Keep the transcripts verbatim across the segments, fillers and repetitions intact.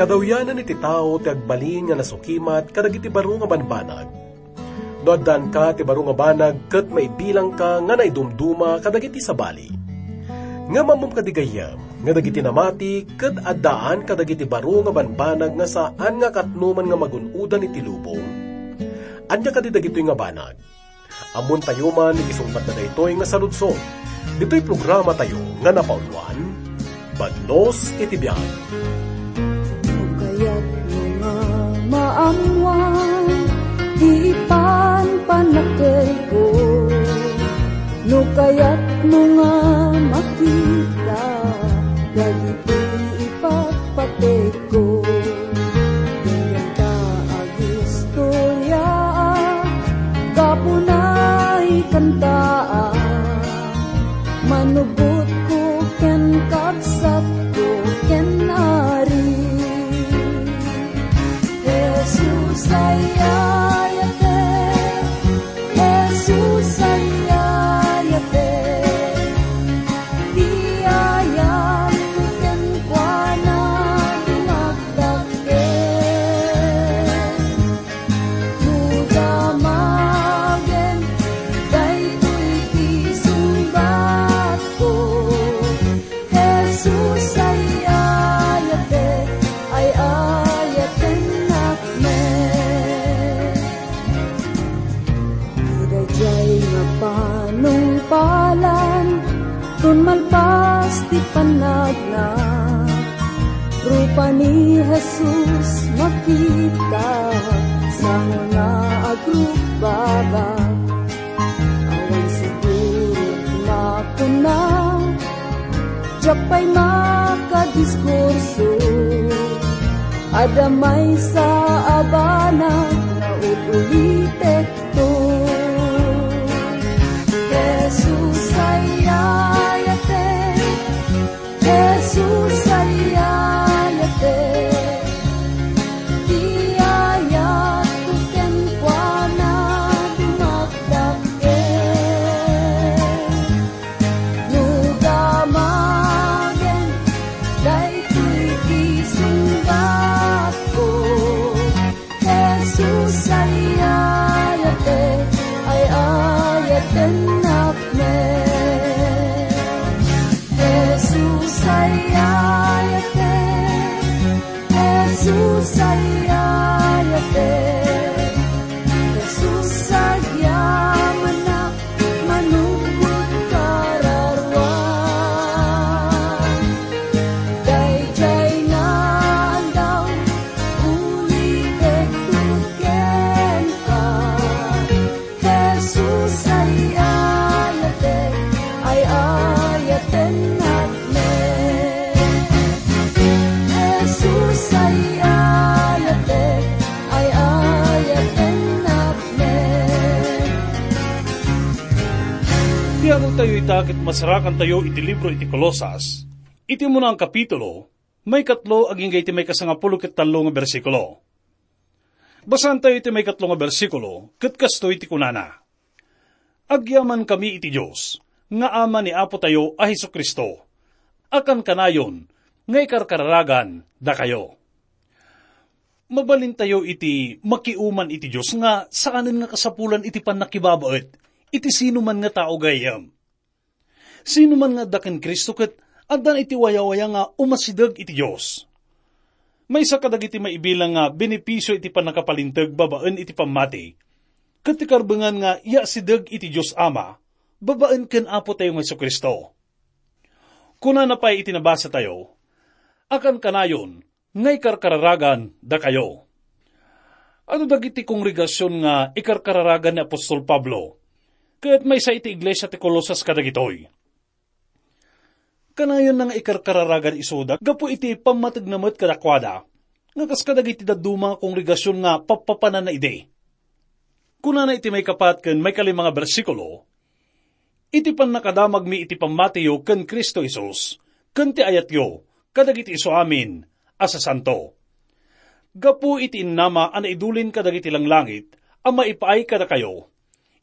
Kadawyanan iti tao ti agbalin nga nasukimat kadagiti baro nga banbanag. No addanka ti baro nga banag ket maibilangka nga naidumduma kadagiti sabali. Ngem ammom kadi gayyem nga dagiti namati ket addaan kadagiti baro nga banbanag nga saan nga katnoman nga magun-odan iti lubong? Ania kadi dagitoy nga banag? Ammontayo man iti sungbatna daytoy nga saludsod. Ditoy programatayo nga napauluan, Badnos iti Biag. No kayatmo nga maammuan ti ipanpannakkelko, no kayatmo nga makita dagiti ipatpateg ko. Denggen ta agistoryaak, kapuna ikantaak, manubotko ken kabsatko ken Ari. Jesus, ay-ayatek, Jesus, ay-ayatek, ti ayatko kenkuana dumagdakkel. No damagen daytoy ti sungbatko, Jesus, ay-ayatek, ay-ayatennak met. Ti daydiay nga panungpalan, tun malpas ti pannagna, rupa ni Jesus makita, sango nga agrukbabak. Awan siguro makuna, diak pay makadiskurso. Adda maysa a banag nga ut-ulitekto. Jesus, ay-ayatek, Jesus, ay-ayatek, ti ayatko kenkuana dumagdakkel. No damagen daytoy ti sungbatko, Jesus, ay-ayatek, ay-ayatennak met. Jesus, ay-ayatek, Jesus, ay-ayatek, Jesus, agyamanak, manugod kararuan. Daydiay nga aldaw, ulitek kenka. Jesus, ay-ayatek, ay-ayatennak met. Jesus, ay-ayatek, ay-ayatennak met. Ti adu tayo ita ket masarakantayo iti libro iti Colosas, iti umuna a kapitulo, maikatlo agingga iti maikasangapulo ket tallo nga bersikulo. Basaentayo iti maikatlo nga bersikulo, ket kastoy ti kunana, "Agyamankami iti Dios, nga Ama ni Apo tayo a Jesu-Cristo, a kankanayon nga ikarkararagan dakayo." Mabalintayo iti makiuman iti Dios nga saanen nga kasapulan iti pannakibabaet iti sino man nga tao gayyem. Sino man nga adda ken Cristo ket addan iti wayawaya nga umasideg iti Dios. Maysa kadagiti maibilang nga benepisio iti pannakapalinteg babaen iti pammati, ket ti karbengan nga yaasideg iti Dios Ama babaen ken Apo tayo nga Jesu-Cristo. Kunana pay iti nabasa tayo, "A kankanayon nga ikarkararagan dakayo." Adu dagiti kongregasion nga ikarkararagan ni apostol Pablo, ket maysa iti iglesia ti Colosas kadagitoy. Kanayonna nga ikarkararagan isuda gapu iti pammategna met kadakuada, nga kas kadagiti dadduma nga kongregasion nga pappapananna idi. Kunana iti maikapat ken maikalima nga bersikulo, "Iti pannakadamagmi iti pammatiyo ken Cristo Jesus, ken ti ayatyo kadagiti isu amin a sasanto. Gapu iti innama a naidulin kadagiti langlangit a maipaay kadakayo,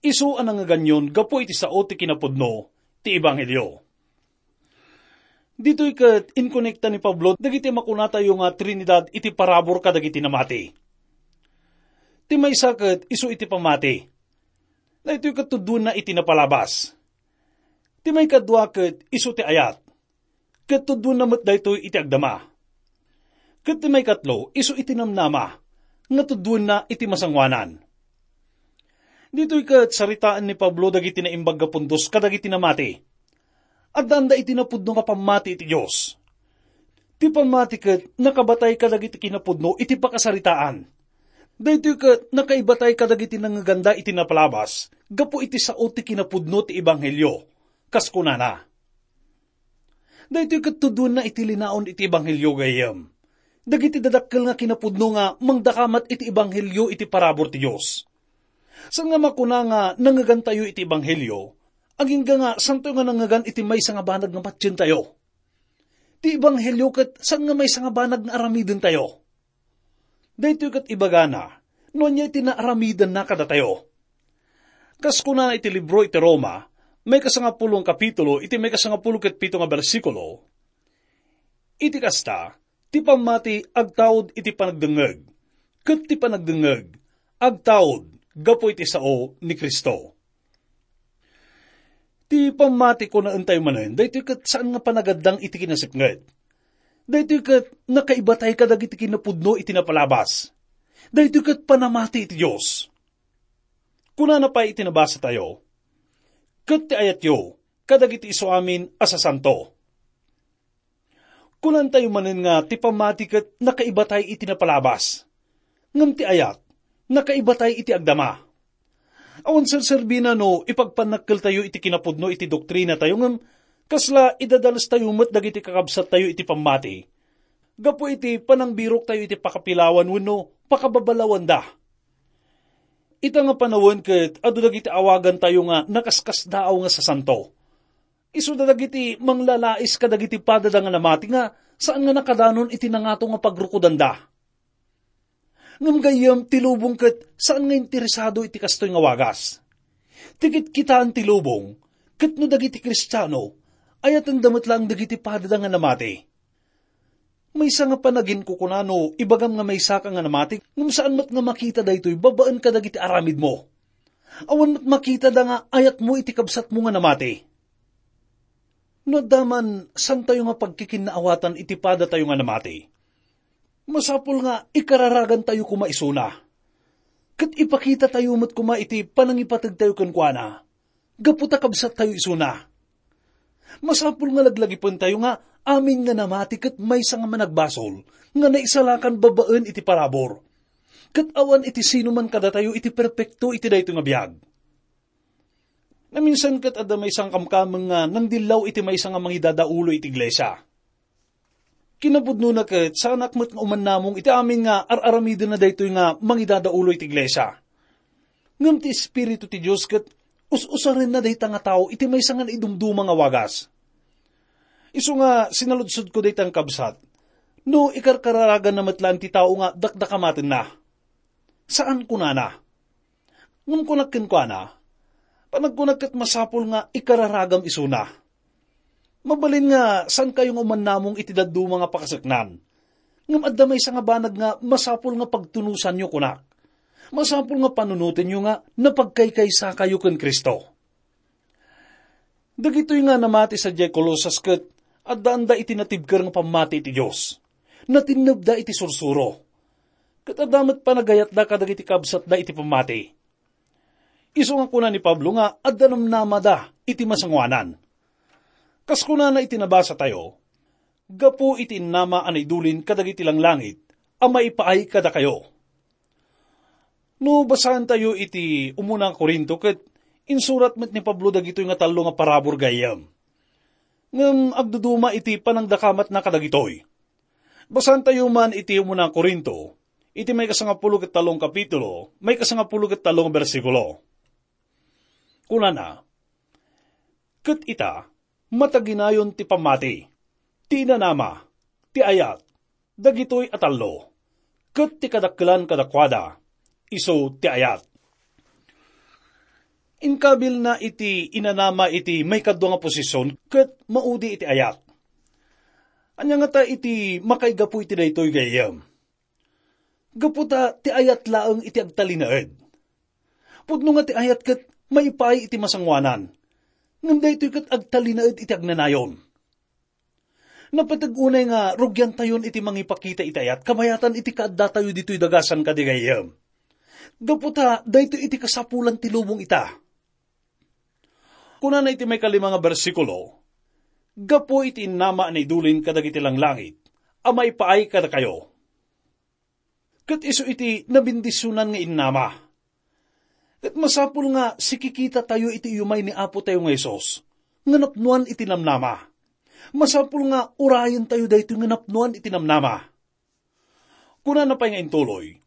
isu a nangngeganyon gapu iti sao ti kinapudno ti ebanghelio." Ditoy ket inkonekta ni Pablo dagiti makunatayo nga Trinidad iti parabur kadagiti namati. Ti maysa ket isu iti pammati. Daytoy ket tudduenna iti napalabas. Ti maikadua ket isu ti ayat. Ket tudduenna met daytoy iti agdama. Ket ti maikatlo, isu iti namnama, nga tudduenna iti masangoanan. Ditoy ket saritaen ni Pablo dagiti naimbag nga pundos kadagiti namati. Addaanda iti napudno nga pammati iti Dios. Ti pammati ket nakabatay kadagiti kinapudno iti pakasaritaan. Daytoy ket nakaibatay kadagiti nangngeganda iti napalabas gapu iti sao ti kinapudno ti ebanghelio. Kas kunana, daytoy ket tudonna iti linaon iti ebanghelio gayyem. Dagiti dadakkel nga kinapudno nga mangdakamat iti ebanghelio iti parabur ti Dios. Saan nga makuna nga nangngegantayo iti ebanghelio, agingga nga santoy nga nangngeganta iti maysa nga banag nga patientayo. Ti ebanghelio ket saan nga maysa nga banag nga aramidentayo. Daytoy ket ibagana, no ania ti naaramidenna kadatayo. Kas kunana iti libro iti Roma, maikasangapulo nga kapitulo, iti maikasangapulo ket pito nga bersikulo, iti kasta, ti pammati agtaud iti panagdengngeg, ket ti panagdengngeg agtaud gapu iti sao ni Cristo. Ti pammati, kunaentayo manen, daytoy ket saan nga panagaddang iti kinasipnget. Daytoy ket nakaibatay kadagiti kinapudno iti napalabas. Daytoy ket panamati iti Dios. Kunana pay iti nabasatayo, "Ket ti ayatyo kadagiti isu amin a sasanto." Kunantayo manen nga ti pammati ket nakaibatay iti napalabas. Ngem ti ayat, nakaibatay iti agdama. Awan serserbina no ipagpannakkeltayo iti kinapudno iti doktrinatayo, ngem kasla idadalestayo met dagiti kakabsattayo iti pammati. Gapu iti panangbiroktayo iti pakapilawan wenno pakababalawanda. Ita nga panawen ket adu dagiti awagantayo nga nakaskasdaaw nga sasanto. Isuda dagiti manglalais kadagiti padada nga namati nga saan nga nakadanon iti nangato nga pagrukodanda. Ngem gayyem ti lubong ket saan nga interesado iti kastoy nga wagas. Ti kitkitaen ti lubong, ket no dagiti Kristiano, ayatenda met laeng dagiti padada nga namati. Maysa nga panaginkukuna no ibagam nga maysaka nga namati, ngem saan met nga makita daytoy babaen kadagiti aramidmo. Awan met makitada nga ayatmo iti kabsatmo nga namati. No adda man santayo nga pagkikinnaawatan iti padatayo nga namati, masapul nga ikararagantayo koma isuna. Ket ipakitatayo met koma iti panangipategtayo kenkuana, gapu ta kabsattayo isuna. Masapul nga laglagipentayo nga amin nga namati ket maysa nga managbasol nga naisalakan babaen iti parabur. Ket awan iti sino man kadatayo iti perpekto iti daytoy nga biag. Naminsan ket adda maysa nga kamkameng nga nangdillaw iti maysa nga mangidadaulo iti iglesia. Kinapudnona ket saanak met nga umannamong iti amin nga ar-aramidenna daytoy nga mangidadaulo iti iglesia. Ngem ti Espiritu ti Dios ket us-usarenna dayta nga tao iti maysa nga naidumduma nga wagas. Isu nga sinaludsodko dayta nga kabsat, no ikarkararaganna met laeng ti tao nga dakdakamatenna. Saan, kunana. Ngem kunak kenkuana, panagkunak ket masapul nga ikararagam isuna. Mabalin nga saankayo nga umannamong iti dadduma nga pakaseknan. Ngem adda maysa nga banag nga masapul nga pagtunosanyo, kunak. Masapul nga panunotenyo nga napagkaykaysakayo ken Cristo. Dagitoy nga namati sadiay Colosas ket addaanda iti natibker nga pammati iti Dios. Natinnebda iti sursuro. Ket adda met panagayatda kadagiti kabsatda iti pammati. Isu nga kuna ni Pablo nga adda namnamada iti masangoanan. Kas kunana iti nabasatayo, "Gapu iti innama a naidulin kadagiti langlangit a maipaay kadakayo." No basaentayo iti umuna nga Corinto, ket insurat met ni Pablo dagitoy nga tallo nga parabur gayyem. Ngem agduduma iti panangdakamatna kadagitoy. Basaentayo man iti umuna nga Corinto, iti maikasangapulo ket tallo nga kapitulo, maikasangapulo ket tallo nga bersikulo. Kunana, "Ket ita, mataginayon ti pammati, ti inanama, ti ayat, dagitoy a tallo, ket ti kadakkelan kadakuada, isu ti ayat." Inkabilna iti inanama iti maikadua nga posisyon ket maudi iti ayat. Ania ngata iti makaigapu iti daytoy, gayyem? Gapu ta ti ayat laeng iti agtalinaed. Pudno nga ti ayat ket maipaay iti masangoanan, ngem daytoy ket agtalinaed iti agnanayon. Napateg unay nga rugiantayon iti mangipakita iti ayat kabayatan iti kaaddatayo ditoy dagasan kadi, gayyem. Gapu ta daytoy iti kasapulan ti lubong ita. Kunana iti maikalima nga bersikulo, "Gapu iti innama a naidulin kadagiti langlangit a maipaay kadakayo." Ket isu iti nabendisionan nga innama. Ket masapul nga sikikitatayo iti iyumay ni Apotayo nga Jesus nga napnoan iti namnama. Masapul nga urayentayo daytoy nga napnoan iti namnama. Kunana pay nga intuloy,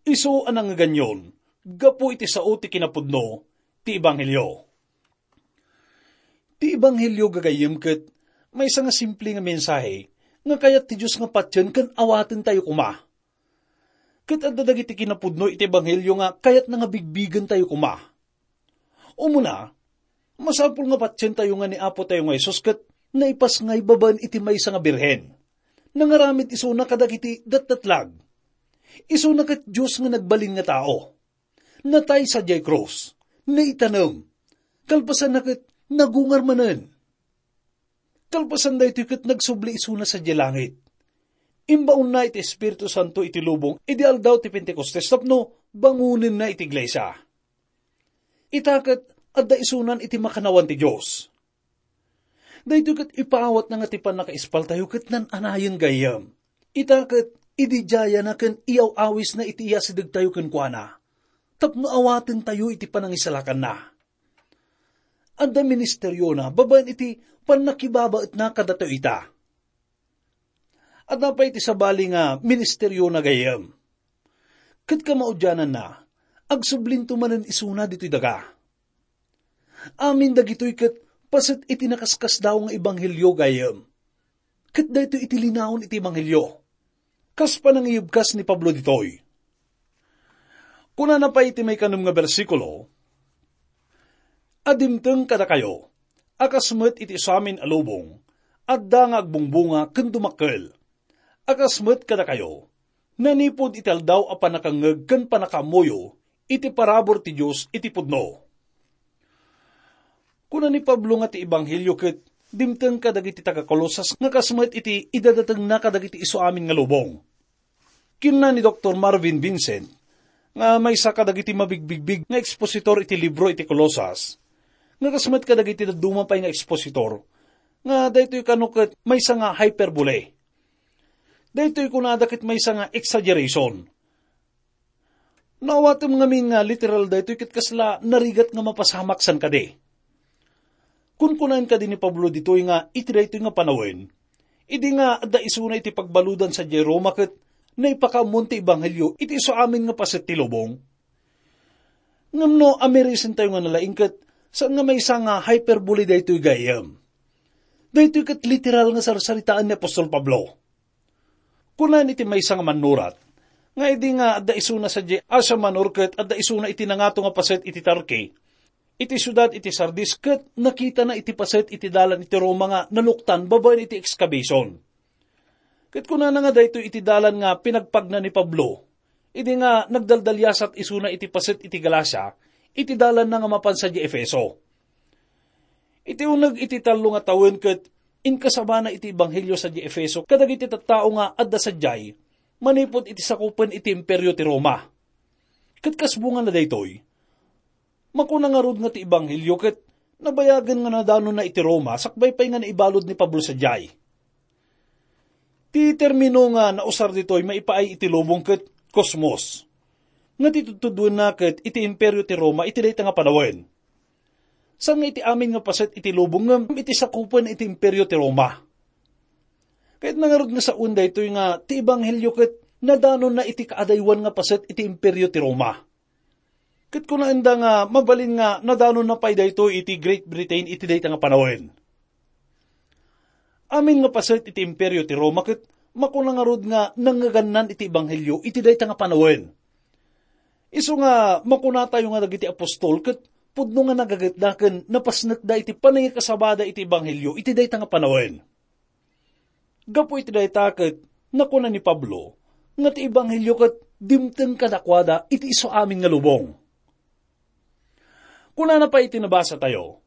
"Isu a nangngeganyon gapu iti sao ti kinapudno ti ebanghelio." Ti ebanghelio, gagayyem, ket maysa nga simple nga mensahe nga kayat ti Dios nga patien ken awatentayo koma. Ket adda dagiti kinapudno iti ebanghelio nga kayatna nga bigbigentayo koma. Umuna, masapul nga patientayo nga ni Apotayo nga Jesus ket naipasngay babaen iti maysa nga birhen. Nangaramid isuna kadagiti datdatlag. Isuna ket Dios nga nagbalin nga tao. Natay sadiay krus, naitanem, kalpasanna ket nagungar manen. Kalpasan daytoy ket nagsubli isuna sadiay langit. Imbaonna iti Espiritu Santo iti lubong idi Aldaw ti Pentecostes tapno bangonenna iti iglesia. Ita ket adda isunan iti makannawan ti Dios. Daytoy ket ipaawatna nga ti pannakaispaltayo ket nan-anayen, gayyem. Ita ket ididiayana ken iyaw-awisna iti iyasidegtayo kenkuana tapno awatentayo iti panangisalakanna. Adda ministeriona babaen iti pannakibabaetna kadatayo ita. Adda pay iti sabali nga ministeriona, gayyem. Ket kamaudiananna, agsublinto manen isuna ditoy daga. Amin dagitoy ket paset iti nakaskasdaaw nga ebanghelio, gayyem. Ket daytoy iti linaon iti ebanghelio. Kas panangiyebkas ni Pablo ditoy. Kunana pay iti maikanem nga bersikulo, "A dimteng kadakayo, a kas met iti isuamin a lubong, adda nga agbungbunga ken dumakkel. A kas met kadakayo, nanipud iti aldaw a pannakangngeg ken pannakaammoyo iti parabur ti Dios iti pudno." Kuna ni Pablo nga ti ebanghelio ket dimteng kadagiti taga-Colosas nga kas met iti idadatengna kadagiti isuamin nga lubong. Kinuna ni Doktor Marvin Vincent, nga maysa kadagiti mabigbigbig nga ekspositor iti libro iti Colosas, nga kas met kadagiti dadduma pay nga ekspositor, nga daytoy kano ket maysa nga hyperbole. Daytoy kunada ket maysa nga exaggeration. Naawatem ngamin nga literal daytoy ket kasla narigat nga mapasamak san kadi. Kunkunaen kadi ni Pablo ditoy nga iti daytoy nga panawen, idi nga adda isuna iti pagbaludan sadiay Roma ket naipakaammon ti ebanghelio iti isuamin nga paset ti lubong. Ngem no amirisentayo nga nalaing ket saan nga maysa nga hyperbole daytoy, gayyem. Daytoy ket literal nga sarsaritaan ni apostol Pablo. Kunaen iti maysa nga mannurat nga idi nga adda isuna sadiay Asia Minor ket adda isuna iti nangato nga paset iti Turkey, iti siudad iti Sardis, ket nakitana iti paset iti dalan iti Roma nga naluktan babaen iti excavation. Ket kunana nga daytoy iti dalan nga pinagpagna ni Pablo idi nga nagdaldaliasat isuna iti paset iti Galacia iti dalanna nga mapan sadiay Efeso. Iti uneg iti tallo nga tawen ket inkasabana iti ebanghelio sadiay Efeso kadagiti tattao nga adda sadiay manipud iti sakupen iti Imperio ti Roma. Ket kas bunga na daytoy, makuna ngarud nga ti ebanghelio ket nabayagen nga nadanonna iti Roma sakbay pay nga naibalud ni Pablo sadiay. Ti termino nga nausar ditoy maipaay iti lubong ket kosmos, nga ti tudtuduenna ket iti Imperio ti Roma iti dayta nga panawen. Saan nga iti amin nga paset iti lubong ngem iti sakupen iti Imperio ti Roma. Ket nangarud nga sawen daytoy nga ti ebanghelio ket nadanonna iti kaadaywan nga paset iti Imperio ti Roma. Ket kunaenda nga mabalin nga nadanonna pay daytoy iti Great Britain iti dayta nga panawen. Amin nga paset iti Imperio ti Roma ket makuna ngarud nga nangngegannan iti ebanghelio iti dayta nga panawen. Isu nga makunatayo nga dagiti apostol ket pudno nga nagagetda ken napasnekda iti panangikasabada iti ebanghelio iti dayta nga panawen. Gapu iti dayta ket nakuna ni Pablo nga ti ebanghelio ket dimteng kadakuada iti isu amin nga lubong. Kunana pay iti nabasatayo,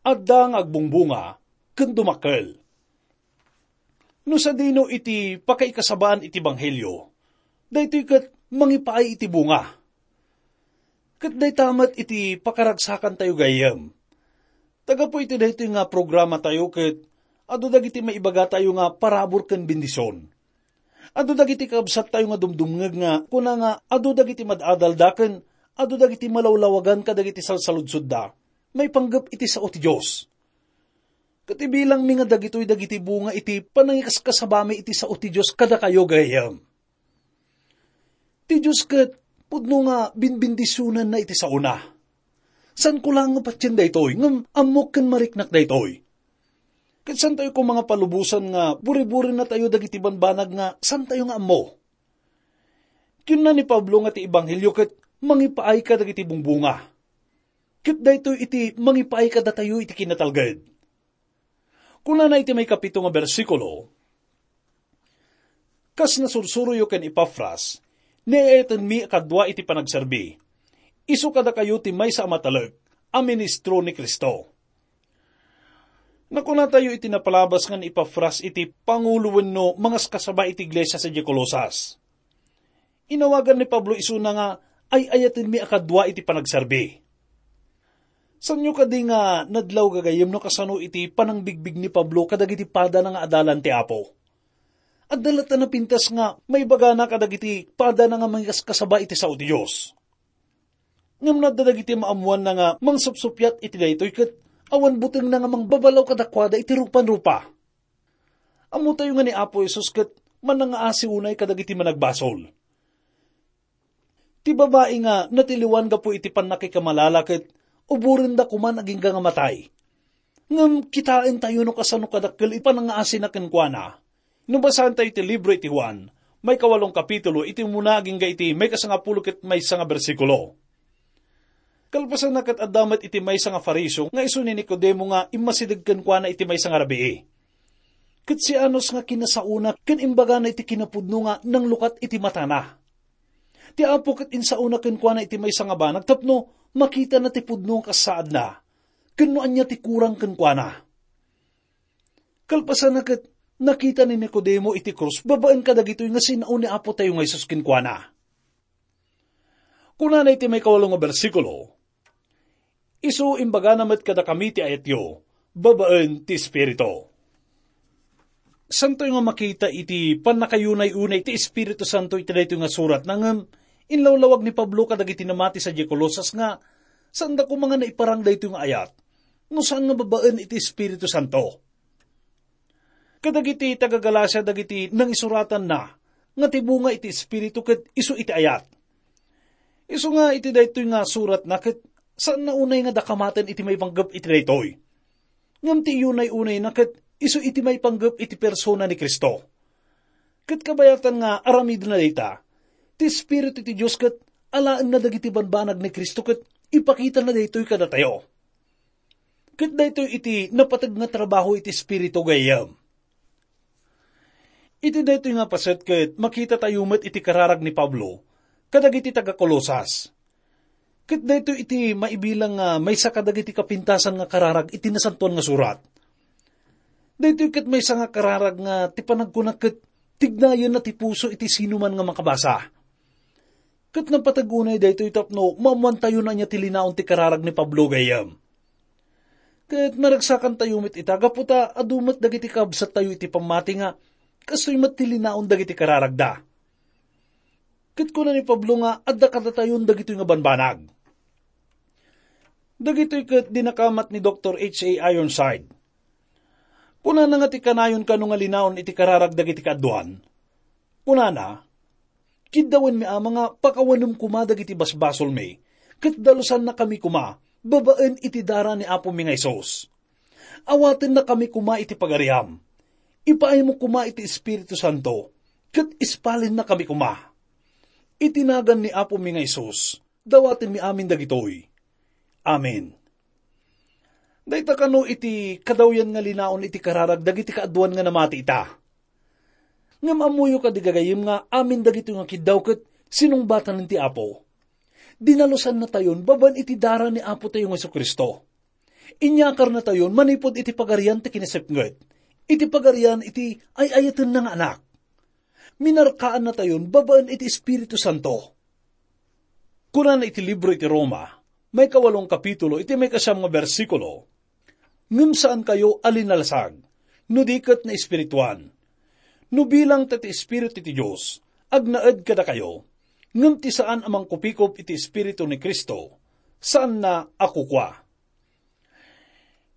"Adda nga agbungbunga ken dumakkel." No sadino iti pakaikasabaan iti ebanghelio, daytoy ket mangipaay iti bunga. Ket dayta met iti pakaragsakantayo gayyem. Ta gapu iti daytoy nga programatayo ket adu dagiti maibagatayo nga parabur ken bendision. Adu dagiti kabsattayo nga dumdumngeg nga kuna nga adu dagiti mad-adalda ken adu dagiti malawlawagan kadagiti salsaludsodda maipanggep iti sao ti Dios. Ket ibilangmi nga dagitoy dagiti bunga iti panangikaskasabami iti sao ti Dios kadakayo gayyem. Ti Dios ket pudno nga binbendisionanna iti saona. Saanko laeng nga patien daytoy, ngem ammok ken mariknak daytoy. Ket saantayo koma nga palubosan nga buriburinatayo dagiti banbanag nga saantayo nga ammo. Kinuna ni Pablo nga ti ebanghelio ket mangipaay kadagiti bungbunga. Ket daytoy iti mangipaay kadatayo iti kinatalged. Kunana iti maikapito nga bersikulo, "Kas nasursuroyo ken Epafras, niayatenmi a kadua iti panagserbi. Isu kadakayo ti maysa a matalek a ministro ni Cristo." Nakunatayo iti napalabas nga ni Epafras iti pangulo wenno mangaskasaba iti iglesia sadiay Colosas. Inawagan ni Pablo isuna nga ay-ayatenmi a kadua iti panagserbi. Saanyo kadi nga nadlaw gagayyem no kasano iti panangbigbig ni Pablo kadagiti padana nga adalan ti Apo? Adda latta napintas nga maibagana kadagiti padana nga mangiskasaba iti sao ti Dios. Ngem no adda dagiti maammoanna nga mangsupsuppiat iti daytoy ket awan butengna nga mangbabalaw kadakuada iti rupanrupa. Ammotayo nga ni Apo Jesus ket manangngaasi unay kadagiti managbasol. Ti babai nga natiliwan gapu iti pannakikamalala ket uborenda koman agingga nga matay. Ngem kitaentayo no kasano kadakkel iti panangngaasina kenkuana. No basaentayo iti libro iti Juan, maikawalong kapitulo, iti umuna agingga iti maikasangapulo ket maysa nga bersikulo. Kalpasanna ket adda met iti maysa nga Fariseo nga isu ni Nicodemo nga immasideg kenkuana iti maysa nga rabii. Ket sianos nga kinasaona ken imbagana iti kinapudno nga nanglukat iti matana. Ti Apo ket insaona kenkuana iti maysa nga banag tapno makitana ti pudno nga kassaadna ken no ania ti kurang kenkuana. Kalpasanna ket nakita ni Nicodemo iti krus babaen kadagitoy nga sinao ni Apotayo nga Jesus kenkuana. Kunana iti maikawalo nga bersikulo, "Isu imbagana met kadakami ti ayatyo babaen ti Espiritu." Santoy nga makita iti pannakayunay-unay ti Espiritu Santo iti daytoy nga surat, ngem inlawlawag ni Pablo kadagiti namati sadiay Colosas nga saanda koma nga naiparang daytoy nga ayat no saan nga babaen iti Espiritu Santo. Kadagiti taga-Galacia dagiti nangisuratanna nga ti bunga iti Espiritu ket isu iti ayat. Isu nga iti daytoy nga suratna ket saanna unay nga dakamaten iti maipanggep iti daytoy. Ngem ti iyunay-unayna ket isu iti maipanggep iti persona ni Cristo. Ket kabayatan nga aramidna dayta, ti Espiritu ti Dios ket alaenna dagiti banbanag ni Cristo ket ipakitana daytoy kadatayo. Ket daytoy iti napateg nga trabaho iti Espiritu gayyem. Iti daytoy nga paset ket makitatayo met iti kararag ni Pablo kadagiti taga-Colosas. Ket daytoy iti maibilang nga maysa kadagiti kapintasan nga kararag iti Nasantoan nga Surat. Daytoy ket maysa nga kararag nga ti panagkuna ket tignayenna ti puso iti sinuman nga makabasa. Ket napateg unay daytoy tapno maammoantayo no ania ti linaon ti kararag ni Pablo gayyem. Ket naragsakantayo met ita gapu ta adu met dagiti kabsattayo iti pammati nga kastoy met ti linaon dagiti kararagda. Ket kuna ni Pablo nga adda kadatayon dagitoy nga banbanag. Dagitoy ket dinakamat ni Doktor H A Ironside. Kunana nga ti kanayon kano nga linaon iti kararag dagiti kaaduan. Kunana, "Kiddawenmi ama nga pakawanem koma dagiti basbasolmi, ket dalusannakami koma babaen iti dara ni Apomi nga Jesus. Awatennakami koma iti pagariam. Ipaaymo koma iti Espiritu Santo, ket ispalennakami koma. Iti nagan ni Apomi nga Jesus, dawatenmi amin dagitoy. Amen." Dayta kano iti kadawyan nga linaon iti kararag dagiti kaaduan nga namati ita. Ngem ammoyo kadi, gagayyem, nga amin dagitoy nga kiddaw ket sinungbatanen ti Apo. Dinalosannatayon babaen iti dara ni Apotayo nga Jesu-Cristo. Inyakarnatayon manipud iti pagarian ti kinasipnget, iti pagarian iti ay-ayatenna nga Anak. Minarkaannatayon babaen iti Espiritu Santo. Kunana iti libro iti Roma, maikawalong kapitulo, iti maikasiam nga bersikulo, "Ngem saankayo a linalasag, no di ket naespirituan. No bilang ta ti Espiritu ti Dios agnaed kadakayo, ngem ti saan a mangkupikop iti Espiritu ni Cristo, saanna a kukua."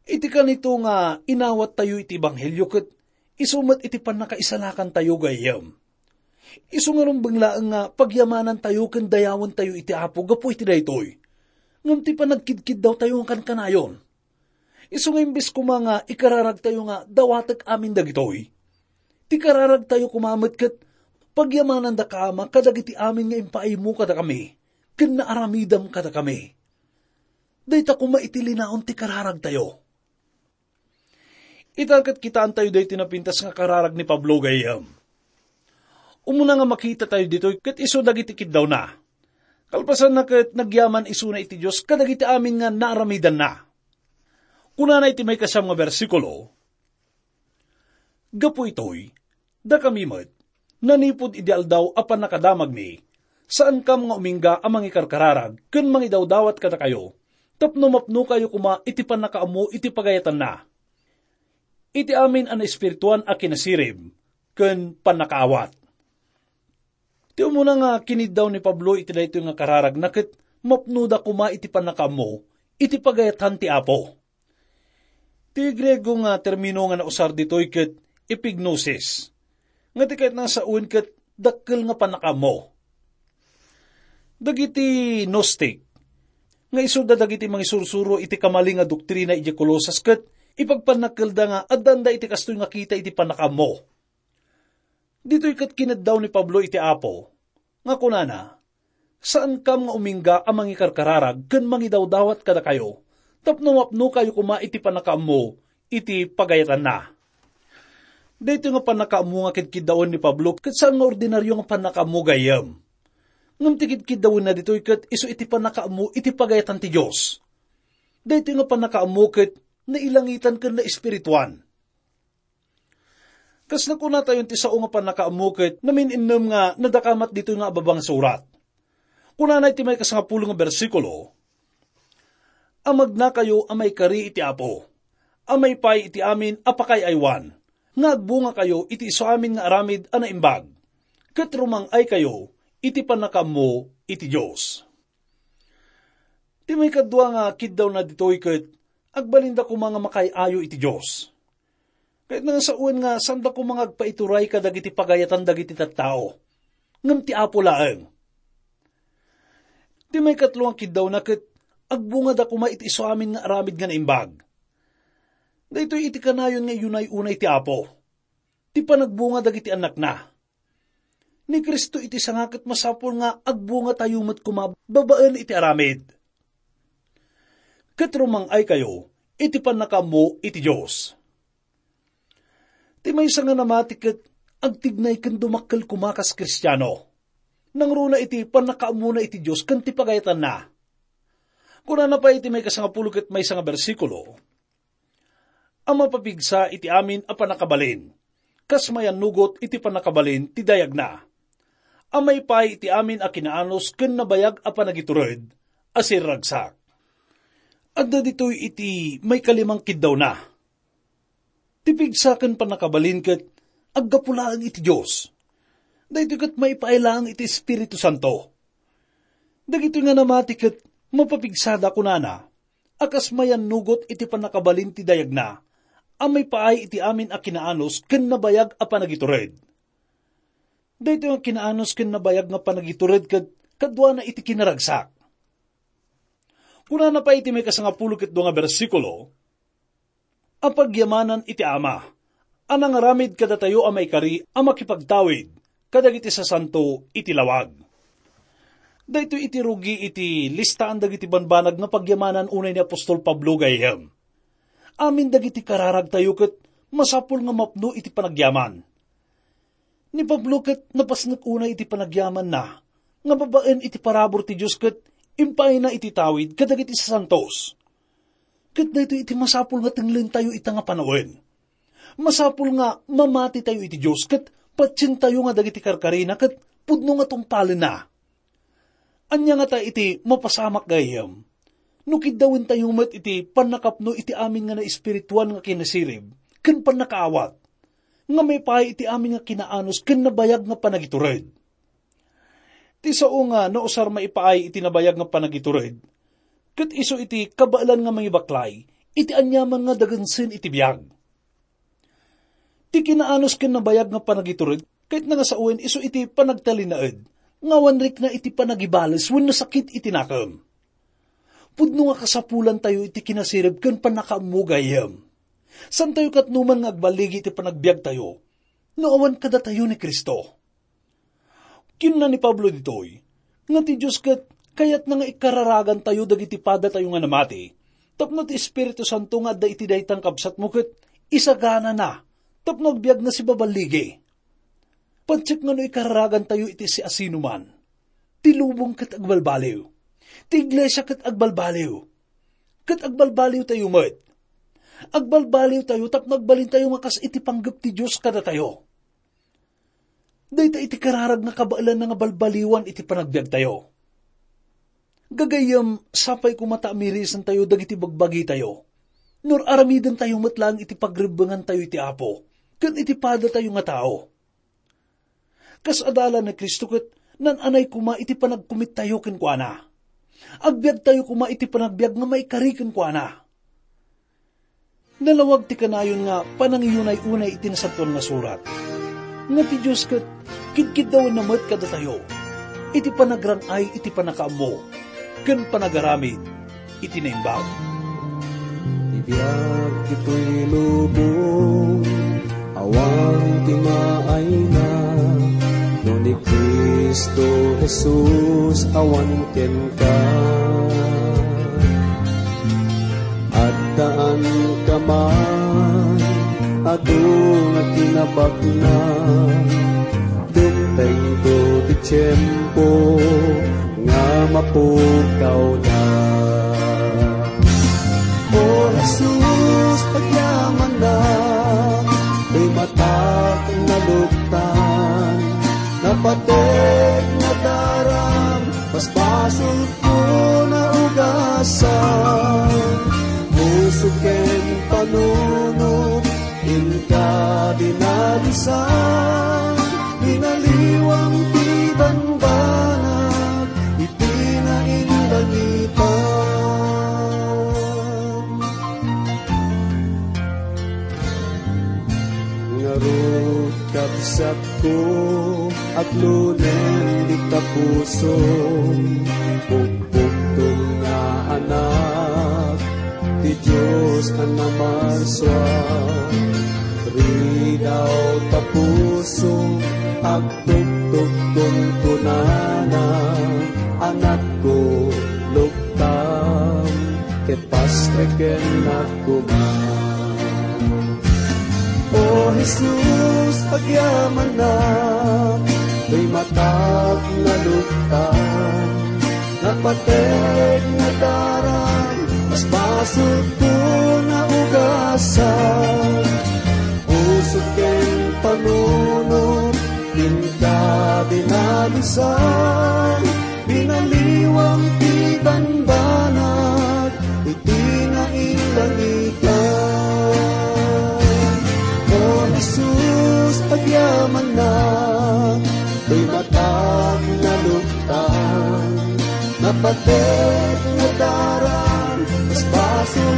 Iti kanito nga inawattayo iti ebanghelio ket isu met iti pannakaisalakantayo, gayyem. Isu nga rumbeng laeng nga pagyamanantayo ken dayawentayo iti Apo gapu iti daytoy, ngem ti panagkidkiddawtayo nga kankanayon. Isu nga imbes koma nga ikararagtayo nga dawatek amin dagitoy, ti kararagtayo koma met ket pagyamanandaka, Ama, kadagiti amin nga impaaymo kadakami ken naaramidam kadakami. Dayta koma iti linaon ti kararagtayo. Ita ket kitaantayo daytoy napintas nga kararag ni Pablo, gayyem. Umuna nga makitatayo ditoy ket isu dagiti kiddawna. Kalpasanna ket nagyaman isuna iti Dios kadagiti amin nga naaramidanna. Kunana iti maikasiam nga bersikulo, "Gapu itoy, dakami met, nanipud idi aldaw a pannakadamagmi, saankam nga umingga a mangikarkararag ken mangidawdawat kadakayo, tapno mapnokayo koma iti pannakaammo iti pagayatanna, iti amin a naespirituan a kinasirib ken pannakaawat." Ti umuna nga kiniddaw ni Pablo iti daytoy nga kararagna ket mapnoda koma iti pannakaammo iti pagayatan ti Apo. Ti Griego nga termino nga nausar ditoy ket epignosis, nga ti kayatna nga sawen ket dakkel nga pannakaammo. Dagiti Gnostic, nga isuda dagiti mangisursuro iti kamalin nga doktrina idiay Colosas, ket ipagpannakkelda nga addanda iti kastoy nga kita iti pannakaammo. Ditoy ket kinaddaw ni Pablo iti Apo, nga kunana, "Saankam nga umingga a mangikarkararag ken mangidawdawat kadakayo, tapno mapnokayo koma iti pannakaammo iti pagayatanna." Daytoy nga pannakaammo nga kidkiddawen ni Pablo ket saan nga ordinario nga pannakaammo, gayyem. Ngem ti kidkiddawenna ditoy ket isu iti pannakaammo iti pagayatan ti Dios. Daytoy nga pannakaammo ket nailangitan ken naespirituan. Kas nakunatayon, ti sao nga pannakaammo ket namin-innem nga nadakamat ditoy nga ababa nga surat. Kunana iti maikasangapulo nga bersikulo, "Amagnakayo a maikari iti Apo, a maipaay iti amin a pakaay-aywan, nga agbungakayo iti isu amin nga aramid a naimbag, ket rumang-aykayo iti pannakaammo iti Dios." Ti maikadua nga kiddawna ditoy ket agbalinda koma nga makaay-ayo iti Dios. Ket nasawen nga sanda koma nga agpaituray kadagiti pagayatan dagiti tattao, ngem ti Apo laeng. Ti maikatlo nga kiddawna ket agbungada koma iti isu amin nga aramid nga naimbag. Daytoy iti kanayon nga iyunay unay ti Apo, ti panagbunga dagiti annakna. Ni Cristo iti sanga ket masapul nga agbungatayo met koma babaen iti aramid. Ket rumang-aykayo iti pannakaammo iti Dios. Ti maysa nga namati ket agtignay ken dumakkel koma kas Kristiano. Nangruna iti pannakaammona iti Dios ken ti pagayatanna. Kunana pay iti maikasangapulo ket maysa nga bersikulo, a mapapigsa iti amin a pannakabalin, kas mayannugot iti pannakabalin ti dayagna, a maipaay iti amin a kinaanus ken nabayag a panagitured a sirragsak. Adda ditoy iti maikalimang kiddawna. Ti pigsa ken pannakabalin ket aggapu laeng iti Dios. Daytoy ket maipaay laeng iti Espiritu Santo. Dagitoy nga namati ket mapapigsada, kunana, a kas mayannugot iti pannakabalin ti dayagna, a maipaay iti amin a kinaanus ken nabayag a panagitured. Daytoy nga kinaanus ken nabayag nga panagitured ket kaduana iti kinaragsak. Kunana pay iti maikasangapulo ket dua nga bersikulo, a pagyamanan iti Ama, a nangaramid kadatayo a maikari a makipagtawid kadagiti sasanto iti lawag. Daytoy iti rugi iti listaan dagiti banbanag nga pagyamanan unay ni apostol Pablo, gayyem. Amin dagiti kararagtayo ket masapul nga mapno iti panagyaman. Ni Pablo ket napasnek unay iti panagyamanna nga babaen iti parabur ti Dios ket impaayna iti tawid kadagiti sasantos. Ket daytoy iti masapul nga tenglentayo ita nga panawen. Masapul nga mamatitayo iti Dios ket patientayo nga dagiti karkarina ket pudno nga tungpalenna. Ania ngata iti mapasamak, gayyem, no kiddawentayo met iti pannakapno iti amin nga naespirituan nga kinasirib ken pannakaawat, nga maipaay iti amin nga kinaanus ken nabayag nga panagitured? Ti sao nga nausar maipaay iti nabayag nga panagitured, ket isu iti kabaelan nga mangibaklay iti aniaman nga dagensen iti biag. Ti kinaanus ken nabayag nga panagitured, ket nangasawen isu iti panagtalinaed nga awan rikna iti panagibales wenno sakit iti nakem. Pudno nga kasapulantayo iti kinasirib ken pannakaammo, gayyem. Saantayo katnoman nga agballigi iti panagbiagtayo no awan kadatayo ni Cristo. Kinuna ni Pablo ditoy nga ti Dios ket kayatna nga ikararagantayo dagiti padatayo nga namati, tapno ti Espiritu Santo nga adda iti dayta nga kabsatmo ket isaganana tapno agbiag nga sibaballigi. Patiek nga no ikararagantayo iti siasinoman, ti lubong ket agbalbaliw, ti iglesia ket agbalbaliw, ket agbalbaliwtayo met. Agbalbaliwtayo tapno agbalintayo nga kas iti panggep ti Dios kadatayo. Dayta iti kararag nga kabaelanna nga balbaliwan iti panagbiagtayo. Gagayyem, sapay koma ta amirisantayo dagiti bagbagitayo. Nuraramidantayo met laeng iti pagrebbengantayo iti Apo ken iti padatayo nga tao. Kas adalan ni Cristo ket naan-anay koma iti panagkumittayo kenkuana. Agbiagtayo koma iti panagbiag nga maikari kenkuana. Nalawag ti kanayon nga panangiyunay-unay iti Nasantoan nga Surat, nga ti Dios ket kidkiddawenna met kadatayo iti panagrang-ay iti pannakaammo ken panagaramid iti naimbag. Ti biag ditoy lubong, awan ti maayna, no ni Cristo Jesus awan kenka. Addaan ka man, adu nga kinabakna, dumtengto ti tiempo nga mapukawda. O Jesus, agyamannak, ti matak naluktan, napateg nadaram, basbasol ko naugasan. Puso ken panunot, inka dinalisan, binaliwam ti banbanag iti nainlangitan. Ngarud, kabsatko, aglunen dita pusom, pukpuktom nga anak ti Dios a namarsua. Ridaw ta pusom, agtugtog kunkunana, anakko, luktam, ket pastreken koma. O Jesus, agyamannak, ti matak naluktan, napateg nadaram, basbasol ko naugasan. Puso ken panunot, inka dinalisan, binaliwam ti banbanag iti nainlangitan. O Jesus, agyamannak, ti matak naluktan, napateg nadaram, basbasol